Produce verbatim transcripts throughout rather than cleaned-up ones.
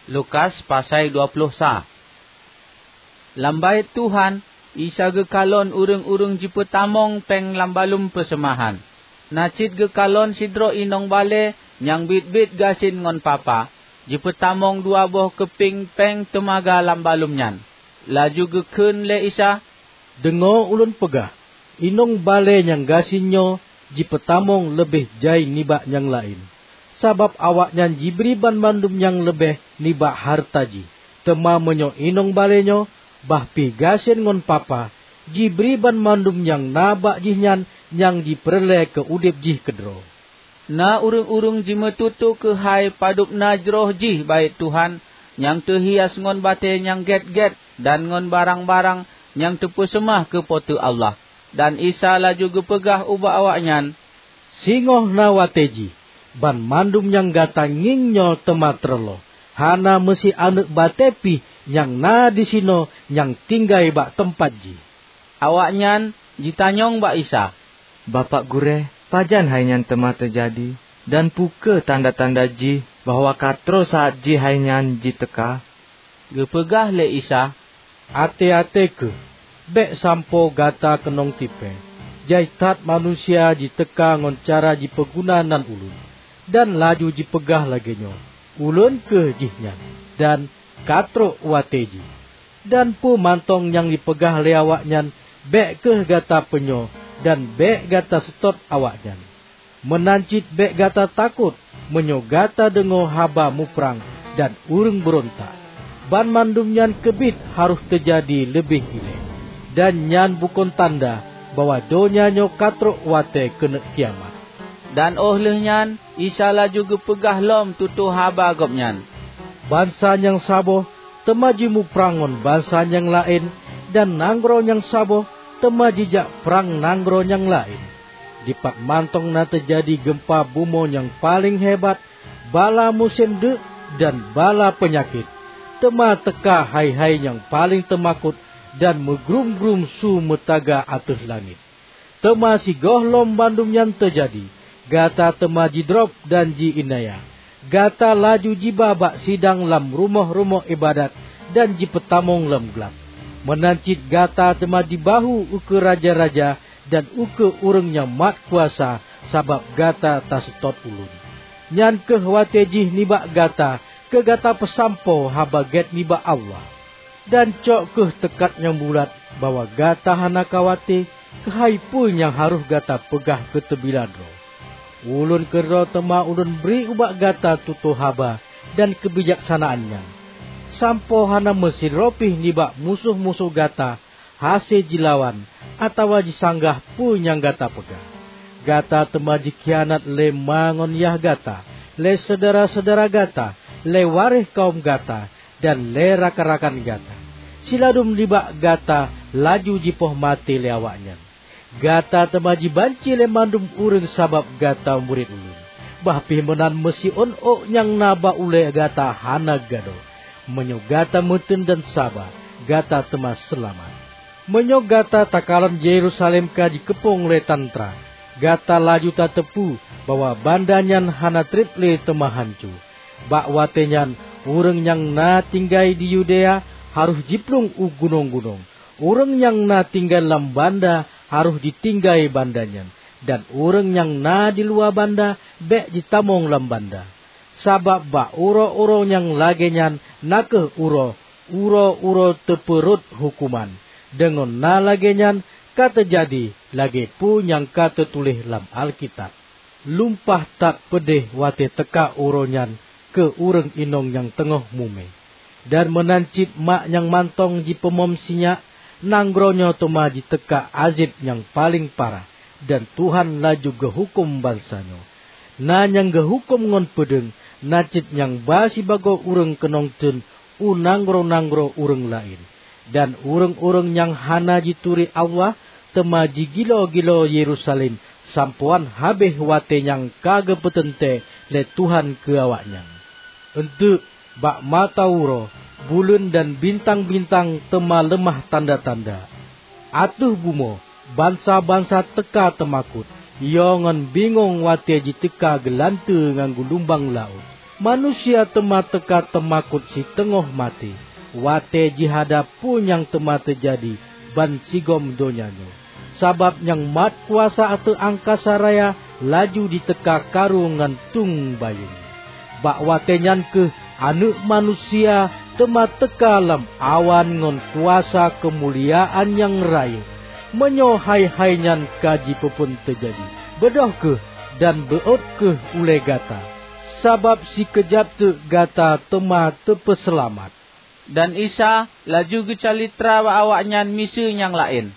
Lukas pasai dua ploh sa. Lam Baét Tuhan, Isa geukalon ureuëng-ureuëng jipeutamong péng lam balum peuseumahan. Na cit geukalon sidroe inong balée nyang biet-biet gasien ngon papa, jipeutamong dua boh keuping péng teumaga lam balum nyan. Laju geukheun lé Isa, "Deungoe ulôn peugah, inong balée nyang gasien nyoe jipeutamong leubeh jai nibak nyang laén, sabab awaknyan jibri banmandum nyang leubeh nibak hareuta jih. Teuma meunyoe inong balée nyoe, bah pih gasien ngon papa, jibri banmandum nyang na bak jihnyan nyang jipeureulée keu udeb jih keudroe." Na ureuëng-ureuëng jimeututoe keuhai padub na jroh jih Baét Tuhan nyang teuhias ngon batée nyang gét-gét dan ngon barang-barang nyang teupeuseumah keu Po teu Allah. Dan Isa laju geupeugah ubak awaknyan, "Singoh na watée jih, banmandum nyang gata ngieng nyoe teuma teureuloh. Hana meusi aneuëk batée pih nyang na disinoe nyang tinggai bak teumpat jih." Awaknyan jitanyong bak Isa, "Bapak Gurée, pajan hai nyan teuma teujadi? Dan peu kheueh tanda-tanda jih bahwa ka troh saát jih hai nyan jiteuka?" Geupeugah lé Isa, "Até-até kheueh! Bék sampoe gata keunong tipée. Jai that manusia jiteuka ngon cara jipeuguna nan Ulôn, dan laju jipeugah lagée nyoe, 'Ulôn kheueh jihnyan,' dan 'Ka trok watée jih.' Dan peue mantong nyang jipeugah lé awaknyan, bék kheueh gata peunyoe dan bék gata seutôt awaknyan. Meunan cit bék gata takot meunyoe gata deungoe haba muprang dan ureuëng beurontak. Banmandum nyan keubiet harôh teujadi leubeh ilée, dan nyan bukon tanda bahwa donya nyoe ka trok watée keuneuk kiamat." Dan óh lheueh nyan Isa laju geupeugah lom tutoe haba Gobnyan, "Bansa nyang saboh teuma jimuprang ngon bansa nyang laén, dan nanggroe nyang saboh teuma jijak prang nanggroe nyang laén. Dipat mantong na teujadi geumpa bumoe nyang paleng hebat, bala musém deuk, dan bala peunyakét. Teuma teuka hai-hai nyang paleng teumakot dan meugrum-grum su meutaga ateueh langét. Teuma sigohlom bandum nyan teujadi, gata teuma jidrob dan ji-iénanya. Gata laju jiba bak sidang lam rumoh-rumoh iébadat dan jipeutamong lam glab. Meunan cit gata teuma jibahu ukeue raja-raja dan ukeue ureuëng nyang mat kuasa sabab gata taseutôt Ulôn. Nyan kheueh watée jih nibak gata keu gata peusampoe Haba Gét nibak Allah. Dan cok kheueh teukat nyang bulat bahwa gata hana khawate keuhai peue nyang harôh gata peugah keu teubila droe. Ulôn keudroe teuma Ulôn bri ubak gata tutoe haba dan keubijaksanaan nyan, sampoe hana meusidroe pih nibak musoh-musoh gata hase jilawan atawa jisanggah peue nyang gata peugah. Gata teuma jikhianat lé ma ngon yah gata, lé syedara-syedara gata, lé waréh kawöm gata, dan lé rakan-rakan gata. Siladum nibak gata laju jipoh maté lé awaknyan. Gata teuma jibanci lé mandum ureuëng sabab gata murit Ulôn. Bah pih meunan meusiôn ôk nyang na bak ulée gata hana gadôh. Meunyoe gata meuteun dan saba, gata teuma seulamat. Meunyoe gata takalon Yerusalem ka jikeupông lé tantra, gata laju tateupeue bahwa banda nyan hana treb lé teuma hanco. Bak watée nyan ureuëng nyang na tinggai di Yudea harôh jiplueng u gunong-gunong. Ureuëng nyang na tinggai lam banda harôh jitinggai banda nyan, dan ureuëng nyang na di luwa banda bék jitamong lam banda. Sabab bak uroe-uroe nyang lagée nyan na kheueh uroe, uroe-uroe teupeurot huköman. Deungon na lagée nyan ka teujadi lagée peue nyang ka teutuléh lam Alkitab. Lumpah that peudeh watée teuka uroe nyan keu ureuëng inong nyang teungoh mumé! Dan meunan cit mak nyang mantong jipeumom sinyak, nanggroe nyoe teuma jiteuka azeb nyang paleng parah, dan Tuhan laju geuhuköm bansa nyoe. Na nyang geuhuköm ngon peudeueng, na cit nyang ba sibagoe ureuëng keunong teuen u nanggroe-nanggroe ureuëng laén. Dan ureuëng-ureuëng nyang hana jituri Allah teuma jigilo-gilo Yerusalem sampoe han habéh watée nyang ka geupeuteuntée lé Tuhan keu awaknyan. Eunteuk, bak mata uroe, buleuen dan bintang-bintang teuma leumah tanda-tanda. Ateueh bumoe, bansa-bansa teuka teumakot, yo ngon bingong watée jiteuka geulanteue ngon geulumbang laôt. Manusia teuma teuka teumakot siteungoh maté, watée jihada peue nyang teuma teujadi bansigom donya nyoe. Sabab nyang mat kuasa ateueh angkasa raya laju jiteuka karu ngon tueng bayeue. Bak watée nyan kheueh Aneuëk Manusia teuma teuka lam awan ngon kuasa keumuliaan nyang rayeuk. Meunyoe hai-hai nyan ka jipeuphon teujadi, beudôh kheueh dan beuôt kheueh ulée gata, sabab sikeujab teuk gata teuma teupeuseulamat." Dan Isa laju geucalitra bak awaknyan miseue nyang laén,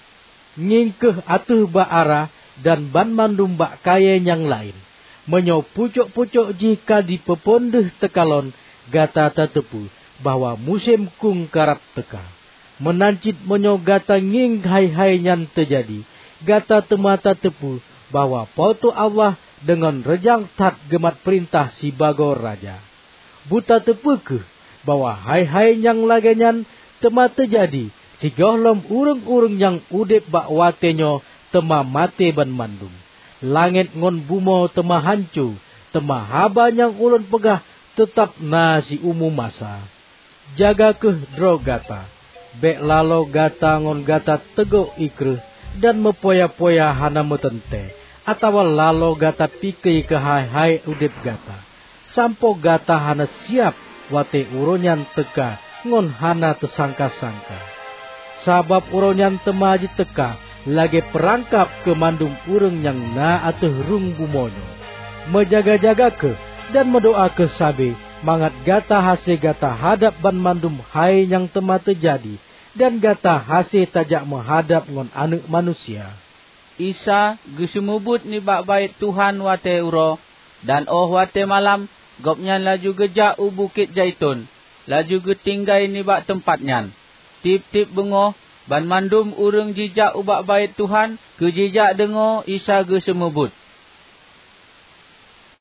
"Ngieng kheueh ateueh bak ara dan banmandum bak kayée nyang laén. Meunyoe pucok-pucok jih ka jipeuphon deuh teukalon, gata tateupeue bahwa musém kung karab teuka. Meunan cit meunyoe gata ngieng hai-hai nyan teujadi, gata teuma tateupeue bahwa Po teu Allah deungon reujang that geumat peurintah sibagoe raja. Beutateupeue kheueh bahwa hai-hai nyang lagée nyan teuma teujadi sigohlom ureuëng-ureuëng nyang udeb bak watée nyoe teuma maté banmandum. Langét ngon bumoe teuma hanco, teuma haba nyang ulôn peugah teutab na siumu masa. Jaga kheueh droe gata. Bék laloe gata ngon gata teugok ié kreueh dan meupoya-poya hana meuteuntée, atawa laloe gata pike keu hai-hai udeb gata, sampoe gata hana siab watée uroe nyan teuka ngon hana teusangka-sangka. Sabab uroe nyan teuma jiteuka lagée peurangkab keu mandum ureuëng nyang na ateueh rueng bumoe nyoe. Meujaga-jaga kheueh dan meudoá kheueh sabe, mangat gata hase gata hadab banmandum hai nyang teuma teujadi, dan gata hase tajak meuhadab ngon Aneuëk Manusia." Isa geuseumeubeuet nibak Baét Tuhan watée uroe, dan óh watée malam, Gobnyan laju geujak u Bukét Zaiton, laju geutinggai nibak teumpat nyan. Tieb-tieb beungoh, banmandum ureuëng jijak ubak Baét Tuhan keu jijak deungoe Isa geuseumeubeuet.